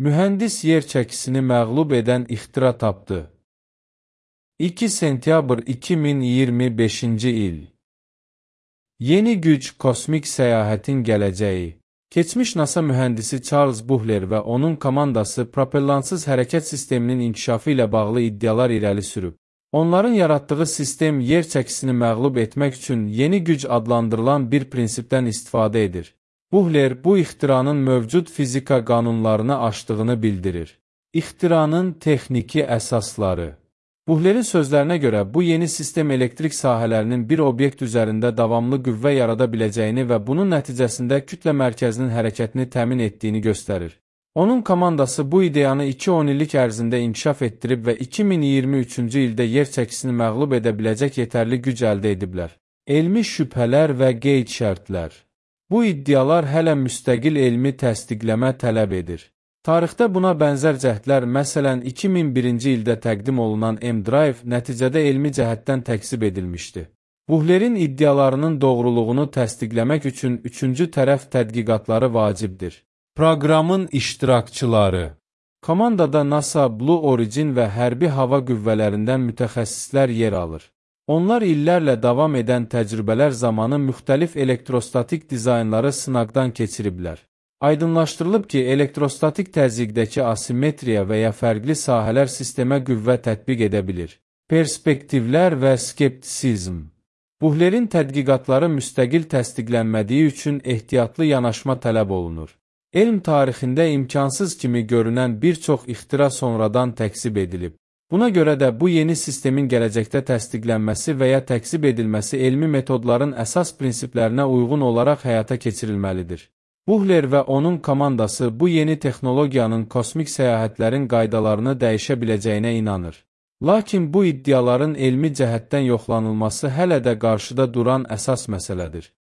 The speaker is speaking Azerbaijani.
Mühəndis yer çəkisini məğlub edən ixtira tapdı. 2 sentyabr 2025-ci il. Yeni güc kosmik səyahətin gələcəyi. Keçmiş NASA mühəndisi Charles Buhler və onun komandası propellantsız hərəkət sisteminin inkişafı ilə bağlı iddialar irəli sürüb. Onların yaratdığı sistem yer çəkisini məğlub etmək üçün yeni güc adlandırılan bir prinsipdən istifadə edir. Buhler bu ixtiranın mövcud fizika qanunlarını aşdığını bildirir. İxtiranın texniki əsasları. Buhlerin sözlərinə görə bu yeni sistem elektrik sahələrinin bir obyekt üzərində davamlı qüvvə yarada biləcəyini və bunun nəticəsində kütlə mərkəzinin hərəkətini təmin etdiyini göstərir. Onun komandası bu ideyanı 2-10 illik ərzində inkişaf etdirib və 2023-cü ildə yer çəkisini məğlub edə biləcək yetərli güc əldə ediblər. Elmi şübhələr və qeyd şərtlər. Bu iddialar hələ müstəqil elmi təsdiqləmə tələb edir. Tarixdə buna bənzər cəhdlər, məsələn 2001-ci ildə təqdim olunan M-Drive nəticədə elmi cəhətdən təksib edilmişdi. Buhlerin iddialarının doğruluğunu təsdiqləmək üçün üçüncü tərəf tədqiqatları vacibdir. Proqramın iştirakçıları. Komandada NASA, Blue Origin və hərbi hava qüvvələrindən mütəxəssislər yer alır. Onlar illərlə davam edən təcrübələr zamanı müxtəlif elektrostatik dizaynları sınaqdan keçiriblər. Aydınlaşdırılıb ki, elektrostatik təzyiqdəki asimetriya və ya fərqli sahələr sistemə qüvvə tətbiq edə bilir. Perspektivlər və skeptisizm. Buhlerin tədqiqatları müstəqil təsdiqlənmədiyi üçün ehtiyatlı yanaşma tələb olunur. Elm tarixində imkansız kimi görünən bir çox ixtira sonradan təksib edilib. Buna görə də bu yeni sistemin gələcəkdə təsdiqlənməsi və ya təksib edilməsi elmi metodların əsas prinsiplərinə uyğun olaraq həyata keçirilməlidir. Buhler və onun komandası bu yeni texnologiyanın kosmik səyahətlərin qaydalarını dəyişə biləcəyinə inanır. Lakin bu iddiaların elmi cəhətdən yoxlanılması hələ də qarşıda duran əsas məsələdir.